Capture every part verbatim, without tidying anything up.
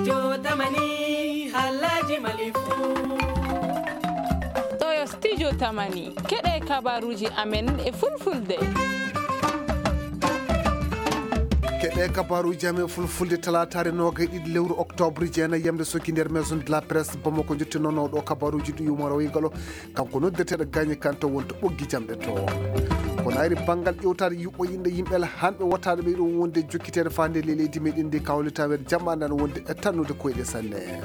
Jotamani, halaji malifu. Ɗo yo studio Tamani. Keɗe kabaruji amen e fulfulde. Keɗe kabaruji amen fulfulde talaataare noogay ɗiɗi lewru oktoobre jeenay yamde soki nder maison de la presse Bamako. Jottinono ɗo kabaruji ɗi yumoro wigalo. Kanko noddeteeɗo Gaañi Kan to woni to ɓoggi jamɗe to. Ko naayri banngal ƴeewtaade yuɓɓo yimɓe, yimɓe hanɓe wotaade ɓe ɗum wonde jokkiteede faande ley leydi meɗen ndi kawlitaweede jamaande ana wonde e tannude koyɗe sanne.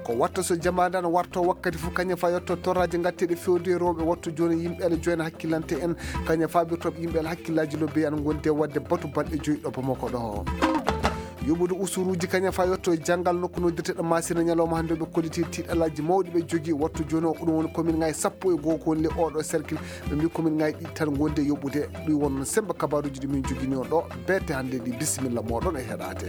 Ko watta so jamaande ana warto wakkati fof kañum fa yetto torraaji ngatteeɗi fewde e rewɓe wattu jooni yimɓe ana joyna hakkillante en kañum fa ɓe toɓ yimɓe ana hakkillaaji lobbe ana ngondi e waɗde batu balɗe joyi ɗo Bamako ɗo. Yuɓude usuruuji kañum fa yetto e janngal nokku noddirteɗo Maasina ñalawma hannde ɓe kolliti tiiɗalaaji mawɗi ɓe jogii wattu jooni o. Ko ɗum woni commune ngaji sappo e goo ko woni le oɗo cercle. Ɓe mbi commune ngaji ɗiɗi tan ngondi e yoɓude. Ɗum won noon semmba kabaruuji ɗi min jogini on ɗo beete hannde ɗi. Bisimilla mooɗon e heɗaade.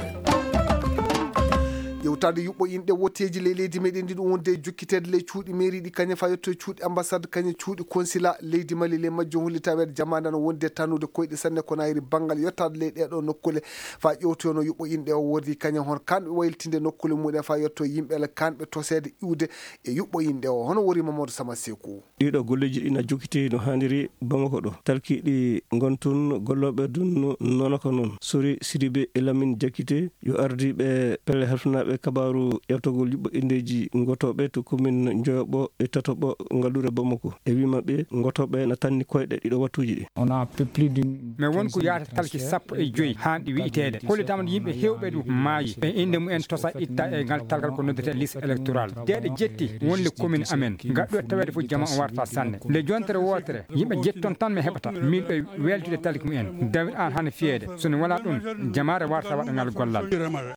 Ƴewtaade yuɓɓo inɗe woteeji ley leydi meɗen ndi ɗum wonde e jokkiteede ley cuuɗi mairie ɗi kañum fa yetto e cuuɗi ambassade kañum cuuɗi consulat leydi Mali ley majjum hollitaweede jamaande no wonde tannude koyɗe sanne ko nayri banngal yottaade ley ɗee ɗoo nokkule. Faa ƴeewtoyoo no yuɓɓo inɗe o worri kañum hon kanɓe waylitinde nokkule mumen faa yetto yimɓe ala kanɓe toseede iwde e yuɓɓo inɗe o hono worri Mamadou Sama Seku. Ɗiiɗoo golleeji ɗi na jokkitee no haaniri Bamako ɗo. Talkiiɗi ngon tun gollooɓe dun nono ko non. Sori Sidibe e Lamin Jakite yo ardi ɓe pelle halfinaaɓe kabaaru ƴawtagol yuɓɓo inndeeji ngotooɓe to komin Njoyoɓo e Tatoɓo ngalluure Bamako. E wii maɓɓe ngotooɓe na tanni koyɗe ɗiɗo wattuuji ɗi. Mais won ko yaata talki sappo e joy haa ɗi wi'iteede. Hollitaama no yimɓe heewɓe ɗum maayi. E innde mumen tosa itta e ngal talkal ko noddetee liste électorale. Deeɗe jetti won le commune amen. Ngaɗɗo taweede fof jama o warta sanne. Nde jontere wootere, yimɓe jetti toon tan mi heɓata. Miin ɓe weltude talki mumen. Dawir aan hana fiyeede. So ne walaa ɗum, jamaare warta waɗa ngal gollal.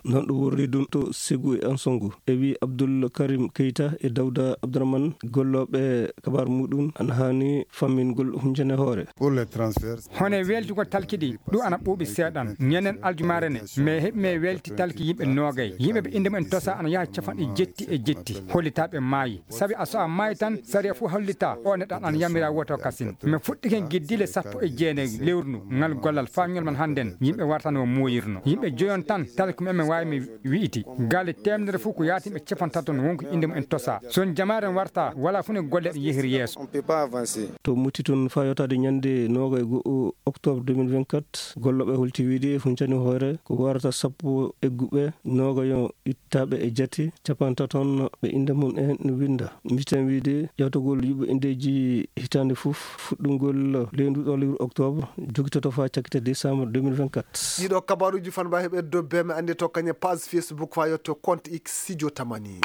Non ɗo worri ɗum to Segu e Ansongo. E wii Abdul Karim Keita e Dawda Abdurahman gollooɓe kabaar muɗum ana haani fammingol hunjene hoore. Pour les transferts. Hono e weltugol talki ɗi, ɗum ana ɓuuɓi seeɗan. Ñanden aljumaare ne, mais heɓi mi welti talki yimɓe noogay. Yimɓe ɓe innde mumen tosa ana yaha capanɗe jetti e jetti. Hollitaaɓe maayi. Sabi a so a maayi tan, sariya fof hollitaa, o neɗɗo ana yamiraa woto kasin. Mi fuɗɗike giddile sappo e jeenay lewru ndu, ngal gollal faa ñolman hannden, yimɓe wartanoo mooyirno. Yimɓe joyon tan, talki mumen waawi mi wi'iti. Galle teemedere fof ko yaati yimɓe capantato no won ko innde mumen tosaa. So on jamaare on wartaa, walaa fof no golle ɗe yehiri yeeso. On peut pas avancer. To mutti toon faa yottaade ñande noogay e go'o octobre deux mille vingt-quatre, gollooɓe holti wiide huncani hoore ko warata sappo egguɓe, noogayo ittaaɓe e jate, capantato on ɓe innde mum en no winnda. Mbiiten wiide ƴawtagol yuɓɓo inndeeji hitaande fof, fuɗɗungol ley nduɗo lewru octobre, jogitoto faa cakkite décembre deux mille vingt-quatre. Ɗiɗo kabaruuji fanba heɓe dobbe mi anndi to kañe page Facebook faa yetto compte X Sijo Tamani.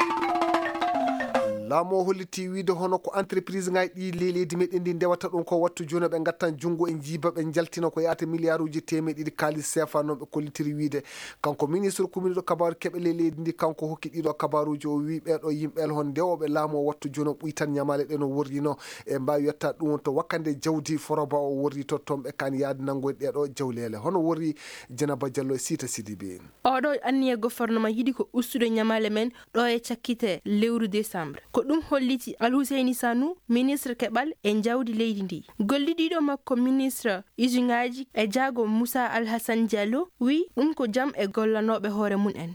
Laamu o holliti wiide hono ko entreprise ngaji ɗi ley leydi meɗen ndi ndewata ɗum ko wattu jooni ɓe ngattan junngo e njiiba ɓe njaltina ko yaata miliyaaruuji teemeɗe ɗiɗi kaalis seefa no ɓe kollitiri wiide. Kanko ministre kuminɗo kabaaru keɓe ley leydi ndi kanko hokki ɗiɗo kabaruuji o wii ɓeeɗo yimɓe hon ndewooɓe laamu o wattu jooni o ɓuytan ñamaale ɗe no worrino e mbaawi yetta ɗum to wakkande jawdi foroba o worri to toon ɓe kaan yaade nanngoyde ɗeeɗo jawleele hono worri Jenaba Jallo e Siita Sidibe. Oɗo anniya gofornama yiɗi ko ustude ñamaale men ɗo e cakkite lewru desambre. Ko ɗum holliti Alhuseyni Sanu, ministre keɓal e jawdi leydi ndi. Gollidiiɗo makko ministre usiŋaaji e jaago Musa Alhasan Diallo wii ɗum ko jam e gollanooɓe hoore mum en.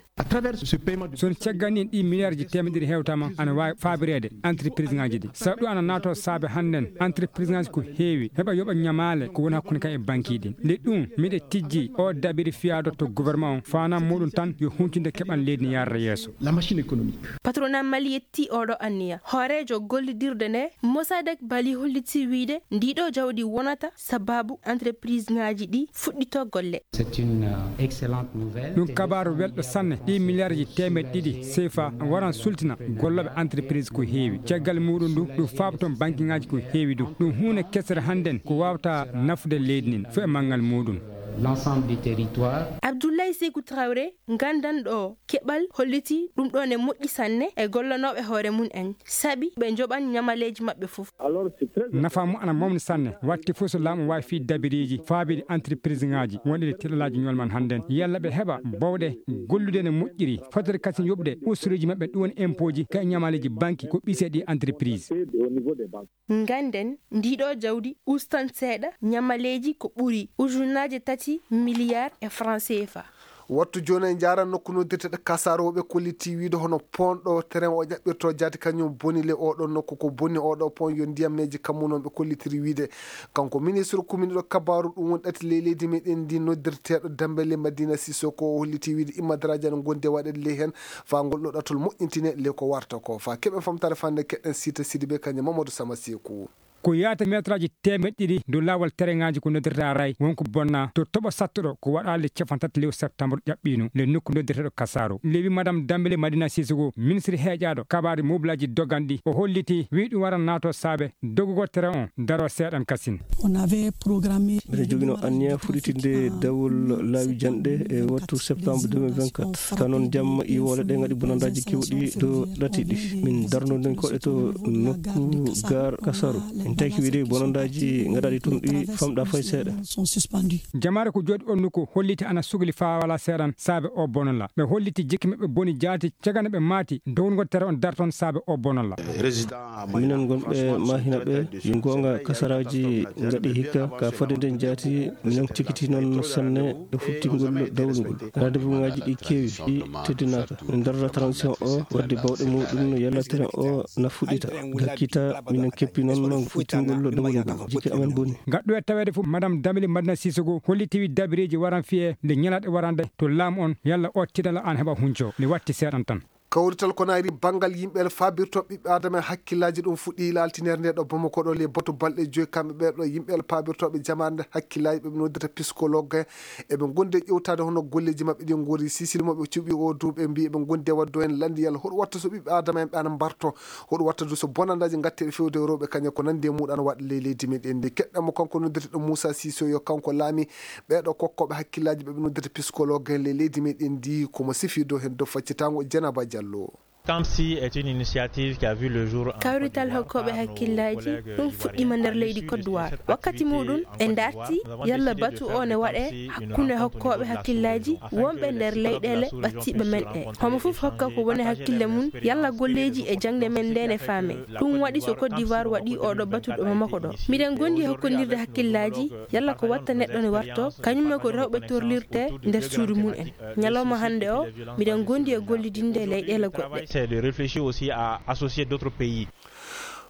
So on caggal nii ɗii miliyaarji teemedde ɗiɗi hewtaama ana waawi faabireede entreprise ŋaaji ɗi. Sabu ɗum ana naatoo saabe hannden entreprise ŋaaji ko heewi heɓa yoɓa ñamaale ko woni hakkunde kam e banki ɗin. Nde ɗum miɗe tijji oo dabiri fiyaado to gouvernement on faanaa muuɗum tan yo huncinde keɓal leydi ndin yarda yeeso. La machine économique. Patronat Mali yetti oɗo anniya. Hooreejo gollidirde nde Mossadegh Bali holliti wiide ndiɗo jawdi wonata sababu entreprise ŋaaji ɗi fuɗɗito golle. C'est une excellente nouvelle. Ɗum kabaaru welɗo sanne. Ɗii miliyaarji teemeɗɗe ɗiɗi seefa waran sultina gollooɓe entreprise ko heewi. Caggal muuɗum ndu ɗum faaboton banki ŋaaji ko heewi du. Ɗum huunde kesere hannden ko waawata nafude leydi ndin fof e manngal muuɗum. L'ensemble du territoire. Abdoulaye Sékou Traoré, nganndanɗo keɓal, holliti ɗum ɗoo ne moƴƴi sanne e gollanooɓe hoore mum en, sabi ɓe njoɓan ñamaleeji maɓɓe fof. Nafaa mum ana mawni sanne, waɗti fof so laamu waawi fii dabiriiji faabiiɗi entreprise ŋaaji wonɗi e tiiɗalaaji ñolman hannden. Yalla ɓe heɓa bowɗe gollude no moƴƴiri, fotde kasin yoɓde ustureeji maɓɓe ɗum woni impôt ji ka e ñamaleeji banki ko ɓisee ɗi entreprise. Ngannden, ndiɗo jawdi ustan seeɗa ñamaleeji ko ɓuri ujunnaaje tati miliyaar e franc C F A. Wattu jooni en njaaran nokku noddirteeɗo Kasaaro, ɓe kollitii wiide hono pont ɗo train o ƴaɓɓirtoo jaati kañum boni le oo ɗoo nokku. Ko boni oo ɗoo pont yo ndiyammeeji kammu noon, ɓe kollitiri wiide. Kanko ministre kuminiiɗo kabaaru ɗum woni ɗati ley leydi meɗen ndi noddirteeɗo Dembele Madina Sissoko o hollitii wiide immadaraaji ana ngondi e waɗeede ley heen faa ngol ɗoo ɗatol moƴƴintine ley ko warta ko. Faa keɓen famtaare fannde keɗen Siita Sidibe kañum Mamadou Sama Seeku. Ko yaata meetaraaji teemeɗɗe ɗiɗi dow laawol tereŋaaji ko noddirta ray won ko bonna to toɓo sattuɗo ko waɗaali le cappanɗe tati lewru septembre ƴaɓɓiino le nokku noddirteeɗo Kasaaro. Lewi madame Dambele Madina Sisoko, ministre heeƴaaɗo kabaari mobilaaji doganɗi, o holliti, wii ɗum waran naatoo saabe dogugol tere on daroo seeɗan kasin. Mbiɗa jogino anniya fuɗitinde dawol laawi janɗe e wattu septembre deux mille vingt-quatre. Ka noon jamma iwoole ɗe ngaɗi bonandaaji kewɗi dow ɗati ɗi. Min darnoɗen koɗe to nokku gar Kasaru. Min taki wiide bonandaaji ngaɗaaɗi tun ɗi famɗa fay seeɗa. Jamaare ko jooɗi on nokku holliti ana sugli faa walaa seeɗan saabe o bonola. Ɓe holliti jikki maɓɓe boni jaati cagana ɓe maati downgol tere on darton saabe o bonola. Minen gonɓe Mahina ɓe, yo goonga kasaraaji ngaɗi hikka ka fodde nden jaati, minen cikiti noon sanne e fuɗtingol dawlugol. Rendez-vous ngaji ɗi keewi, ɗi teddinaaka. Min darata transition o wadde bawɗe muɗum no yalla tere o na fuɗɗita. Gakkita minen keppi noon no fuɗtingol dawlugol. Jikki amen boni. Gaɗɗo e taweede fof, Madame Damili Madina Sissoko holliti wi dabireeji waran fiyee nde ñalaaɗe warande to laamu on yalla o tiɗala an heɓa hunco. Nde watti seeɗan tan. Kawrital ko naayri banngal yimɓe el faabirtooɓe ɓiɓɓe aadama e hakkillaaji ɗum fuɗɗii laaltineede nde ɗo Bamako ɗo ley batu balɗe joy kamɓe ɓee ɗo yimɓe el faabirtooɓe jamaare nde hakkillaaji ɓe ɓe noddata psychologue en eɓe ngondi e ƴewtaade hono golleeji maɓɓe ɗi ngoori sisili mo ɓe cuɓi o duuɓi ɓe mbii eɓe ngondi e waɗde en lanndi yalla hoɗo watta so ɓiɓɓe aadama en ɓe ana mbarto hoɗo watta du so bonandaaji ngatteeɗi fewde e rewɓe kañe ko nanndi e muuɗan waɗa ley leydi meɗen ndi keɗɗen mo kanko noddirteɗo Moussa Sissoco kanko laami ɓee ɗo kokkooɓe hakkillaaji ɓe ɓe noddata psychologue en ley leydi meɗen ndi komo sifii dow heen dow faccitaango Dieynaba Diallo. Kamsi est une initiative qui a vu le jour en Côte d'Ivoire. Kawrital hokkooɓe hakkillaaji ɗum fuɗɗiima nder leydi Côte d'Ivoire. Wakkati muuɗum ɓe ndarti yalla batu o ne waɗee hakkunde hokkooɓe hakkillaaji wonɓe nder leyɗeele ɓattiiɓe men ɗe. Homo fof hokka ko woni hakkille mum yalla golleeji e jaŋde men nde ne faamee. Ɗum waɗi so Côte d'Ivoire waɗii oɗo batu ɗo Bamako ɗo. Miɗen gondi e hokkondirde hakkillaaji yalla ko watta neɗɗo ne wartoo, kañum e ko rewɓe torlirtee nder suudu mum en. Ñalawma hannde o, miɗen gondi e gollidinde e leyɗeele goɗɗe. C'est de réfléchir aussi à associer d'autres pays.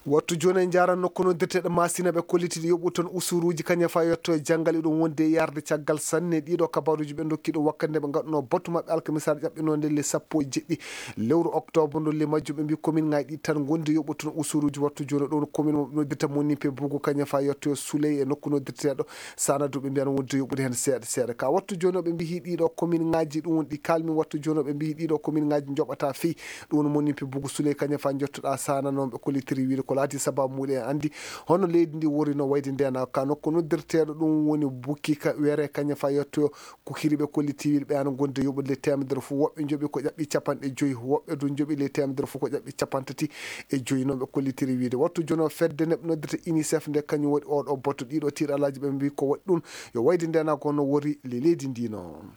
Wattu jooni en njaaran nokku noddirteeɗo Maasina ɓe kollitiiɗo yoɓu toon usuruuji kañe faa yetto e janngal iɗum wondi e yarde caggal sanne ɗiiɗo kabaaruuji ɓe ndokki ɗum wakkati nde ɓe ngaɗunoo batu maɓɓe alkamisaare ƴaɓɓinoonde le sappo e jeɗɗi lewru oktoobre ndu le majjum ɓe mbii komin ngaay ɗi tan ngondi yoɓu toon usuruuji wattu jooni ɗum komin mo ɓe noddirta monipe bugu kañe faa yetto e suley e nokku noddirteeɗo Saana du ɓe mbiyan wonde yoɓude heen seeɗa seeɗa. Ka wattu jooni o ɓe mbiyi ɗiiɗo komin ŋaaji ɗum woni ɗi kaalmi wattu jooni o ɓe mbiyi ɗiiɗo komin ŋaaji njoɓata fii ɗum woni monipe bugu suley kañe faa njottoɗaa Saana noon ɓe kollitiri wiide ko laati sabaabu muɗum en anndi hono leydi ndi wori no wayde ndeenaa ka nokku noddirteeɗo ɗum woni bukki ka were kañe faa yettoyo Kukiri ɓe kolliti wiide ɓe ana ngondi yoɓude ley teemedere fof woɓɓe njoɓi ko ƴaɓɓi capanɗe joyi woɓɓe du njoɓi ley teemedere fof ko ƴaɓɓi capantati e joyi noon ɓe kollitiri wiide wattu jono fedde neɓ noddata unicef nde kañum waɗi oɗo botto ɗiɗo tiiɗalaaji ɓe mbii ko waɗi ɗum yo wayde ndenaa ko no wori ley leydi ndi noon.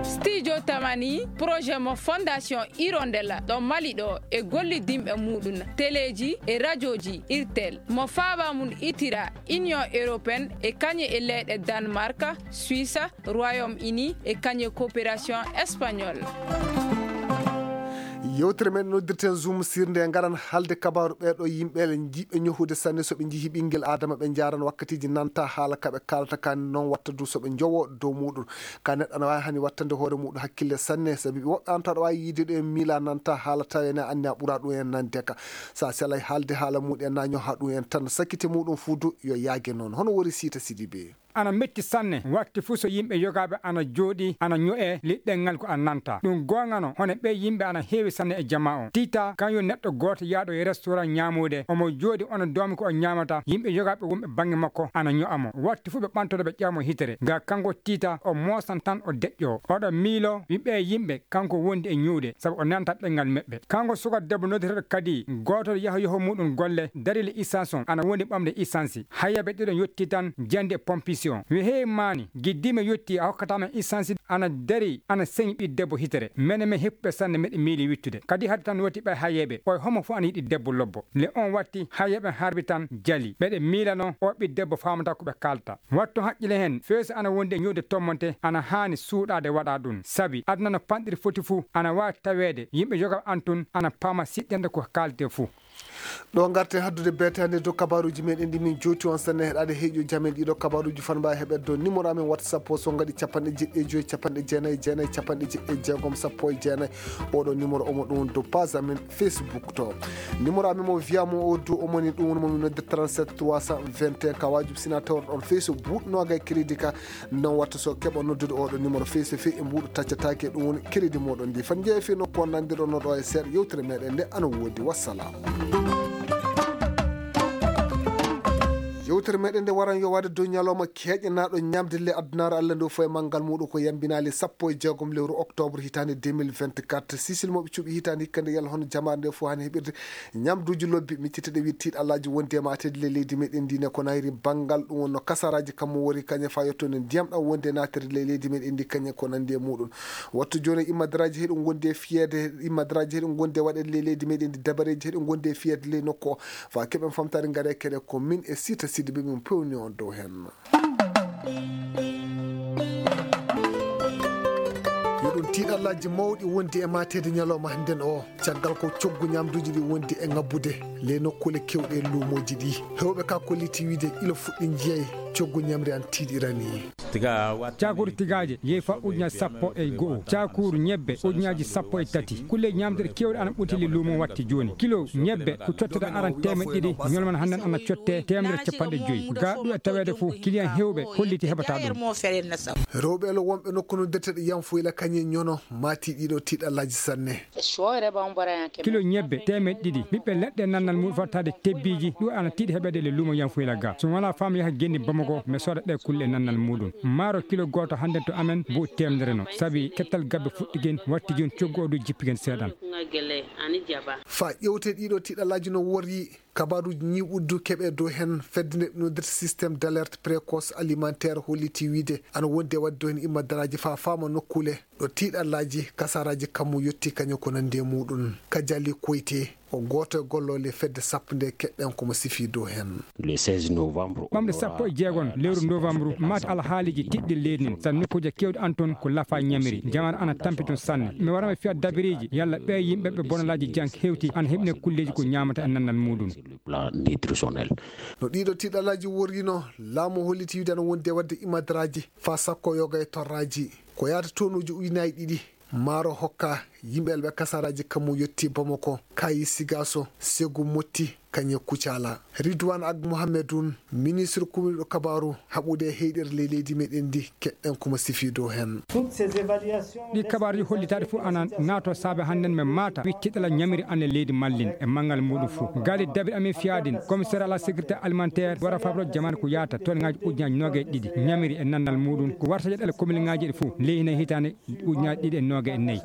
Studio Tamani projet mo fondation hirondella ɗo mali ɗo e gollidinɓe muɗum teleeji e rajooji irtel mo faaba mum itira union européenne e kañe e leyɗe danemark, suisse, royaume uni e kañe coopération espagnole. Yewtere men noddirten zoom sirnde e ngaran haalde kabaaru ɓeeɗo yimɓe jiɓɓe ñohude sanne so ɓe njihii ɓinngel aadama ɓe njaaran wakkatiiji nanta haala ka ɓe kaalata kan noon watta du so ɓe njowo dow muɗum. Ka neɗɗo ana waawi hani wattande hoore muɗum hakkille sanne sabi ɓe woɓɓe an taw aɗa waawi yiide ɗo en miila nanta haala tawi ene anni a ɓura ɗum en nande ka. Sa selay haalde haala muɗum en na ñoha ɗum en tan sakkite muɗum fuu du yo yaage noon hono wori siita sidi bee. Ana metti sanne wakti fuu so yimɓe yogaaɓe ana jooɗii ana ño'ee liɗɗel ngal ko a nanta ɗum goongano hono ɓee yimɓe ana heewi sanne e jamaa on tiita kan yo neɗɗo gooto yaaɗo e restoran ñaamuude omo jooɗi ona doomi ko o ñaamata yimɓe yogaaɓe wonɓe bannge makko ana ño'a mo wakti fuu ɓe ɓantoto ɓe ƴawa mo hitere ga kanko tiita o moosan tan o deƴƴoo oɗo miiloo wi ɓee yimɓe kanko wondi e ñuuɗe sabu o nanata ɗemngal meɓɓe kanko suka debbo noddeteeɗo kadi gootol yaha yoho muɗum golle darile isansi on ana wondi ɓamde isansi hayyaɓe ɗiɗon yottii tan jandi e pompis. question. Wi hee maani, giddii mi yottii a hokkataa men isansi ana darii ana seŋi ɓii debbo hitere. Mene men heppuɓe sanne meɗe miili wittude. Kadi hade tan woti ɓay hayeeɓe. Ɓoy homo fof ana yiɗi debbo lobbo. Le on watti hayeeɓe harbi tan jali. Ɓeɗe miilano o ɓii debbo faamata ko ɓe kaalta. Wattu haqqile heen, feeso ana wondi e ñuude tommonte, ana haani suuɗaade waɗa ɗum. Sabi aduna no panɗiri foti fuu, ana waawi taweede yimɓe yogaaɓe an tun ana paama siɗɗenɗe ko kaaltee fuu. Ɗo ngarten haddude beetaande dow kabaaruuji meɗen ɗi min jooti on sanne heɗaade heeƴo jamen ɗiɗo kabaaruuji fan mbaawi heɓeede dow numéro amen WhatsApp o so ngaɗi capanɗe jeɗɗi e joy capanɗe jeenayi e jeenayi capanɗe jeɗɗi e jeegom sappo e jeenayi. Oɗo numéro omo ɗum dow page amen Facebook to. Numéro amen mo wiya mo o dow omoni ɗum woni mo min nodde trente-sept trois cent vingt et un ka waajib sina tawrɗon fey so buuɗ noogay crédit ka. Non watta so keɓa noddude oɗo numéro fey so fey e mbuuɗo taccataake ɗum woni crédit moɗon ndi fan jeeya fey nokku on nandirɗon oɗo e seeɗa yewtere meɗen nde ana woodi wassalam. Yewtere meɗen nde waran yo waɗe dow ñalawma keeƴanaaɗo ñamde le addunaare allah nde fof e manngal muɗum ko yambinaali sappo e jeegom lewru octobre hitaande deux mille vingt-quatre sisil moɓe cuɓi hitaande hikka nde yalla hono jamaare nde fof hani heɓirde ñamduuji lobbi micciteɗe wiide tiiɗalaaji wondi e maatede le leydi meɗen ndi ne ko nayri banngal ɗum wonno kasaraaji kammu wori kañe fa yetto nde ndiyam ɗam wondi e naatede le leydi meɗen ndi kañe ko nandi e muɗum. Wattu jooni immadaraaji heɗum wondi e fiyeede immadaraaji heɗum wondi e waɗeede le leydi meɗen ndi dabareeji heɗum wondi e fiyeede ley nokku o fa keɓen famtaade ngare keɗe ko min e sita sidi ɓe min pewni on dow heen. Yo ɗum tiiɗallaaji mawɗi wondi e maateede ñalawma hannden o caggal ko coggu ñaamduuji ɗi wondi e ŋabbude ley nokkuule keewɗe e luumooji ɗi. Heewɓe ka kolliti wiide ila fuɗɗi njiyay coggu ñamri an tiiɗirani. Caakuuru tigaaje yehi faa ujunaaji sappo e go'o, caakuuru ñebbe ujunaaji sappo e tati. Kulle ñaamduɗe keewɗe ana ɓuti ley luumo watti jooni. Kilo ñebbe ko cottoɗaa aran teemeɗɗe ɗiɗi, ñolman hannden ana cottee teemedere e cappanɗe joy. Gaa ɗum e taweede fof kiliyan heewɓe holliti heɓataa ɗum. Rewɓe elo wonɓe nokku no ndeteɗo yanfoyla kañe ñono maati ɗiɗo tiiɗallaaji sanne. Kilo ñebbe teemeɗɗe ɗiɗi ɓiɓɓe leɗɗe e nannal muɗum fattaade tebbiiji ɗum ana tiiɗi heɓeede le luumo yanfoyla ga so mi walaa faamu yaha genni bamako mi sooda ɗe kulle e nannal muɗum. Maaro kilo gooto hannden to amen mbo teemedere no sabi kettal gabbe fuɗɗigen watti jooni coggu o du jippigen seeɗan. Fa ƴewte ɗiɗo tiiɗallaaji no worri. Kabaaruuji ñiiɓuddu keɓee dow heen fedde nde ɓe noddirta système d'alerte précoce alimentaire holliti wiide ana wondi e waɗde dow heen immadaraaji faa faama nokkuule ɗo tiiɗallaaji kasaraaji kammu yottii kañum ko nanndi e muuɗum. Kajali Koyte ko gooto e golloole fedde sappo nde keɗɗen ko mo sifii dow heen. Ɓamɗe sappo e jeegon lewru novambru maati alhaaliiji tiɗɗe leydi ndin sabi nokkuuje keewɗe ana toon ko lafaa ñamiri jamaanu ana tampi toon sanne. Mi wara mi fiya dabireeji yalla ɓee yimɓe ɓe bonalaaji jank hewti ana heɓinee kulleeji ko ñaamata e nanndal muuɗum. No ɗiiɗo tiiɗalaaji worriino laamu holliti wiide ana wondi e waɗde imadaraaji faa sakko yoga e torraaji ko yahata tonuuji ujunaaji ɗiɗi. Maaro hokka yimɓe elɓe kasaraaji kammu yottii bamako kaayi sigaaso segu motti kañe kucaala. Ridwan ak mohammedun ministre kumiiɗo kabaaru haɓude e heyɗere ley leydi meɗen ndi keɗɗen komo sifii dow heen. Ɗi kabaaruuji hollitaaɗi fof ana naatoo saabe hannden men maata wittiɗala ñamiri anne leydi mallin e manngal muuɗum fof. Gaali dabiri amin fiyaadin commissaire à la sécurité alimentaire wara fabro jamaane ko yaata toon ngaaji ujunaaji nooga e ɗiɗi ñamiri e nanndal muuɗum ko warta jeɗɗale komilŋaaji ɗi fof ley hina hitaande ujunaaji ɗiɗi e nooga e nayi.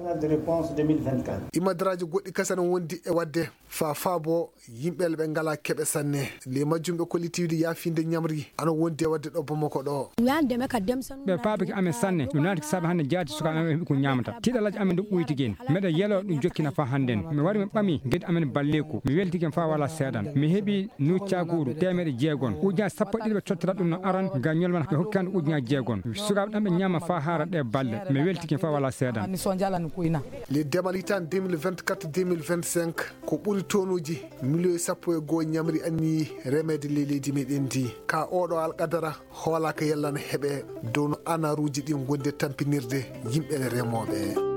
Imadaraaji goɗɗi kasa no wondi e waɗde faa faabo yimɓe ɓe ngalaa keɓe sanne. Ley majjum ɓe kolliti wiide yaafiinde ñamri ana wondi e waɗde ɗo bamako ɗo. Ɓe paabike amen sanne no naati ko saabi hannde jaati sukaaɓe amen heɓi ko ñaamata tiiɗalaaji amen ɗo ɓoytigen. Meɗa yeloo ɗum jokkina faa hannden mi wari mi ɓami geddi amen balleeku mi weltigen faa walaa seeɗan mi heɓi nuuccaaguuru teemeɗe jeegon ujunaaji sappo e ɗiɗi ɓe cottora ɗum no aran ga ñolman ɓe hokki hannde ujunaaji jeegon sukaaɓe ɗan ɓe ñaama faa haara ɗe balɗe mi weltigen faa walaa seeɗan. Ley demal hitaande deux mille vingt-quatre deux mille vingt-cinq ko ɓuri tonuuji miliyoŋ sappo e goo ñamri anniyi remeede ley leydi meɗen ndi ka oɗo alqadara hoolaaka yallana heɓe dow no anaruuji ɗin gondi e tampinirde yimɓe remooɓe.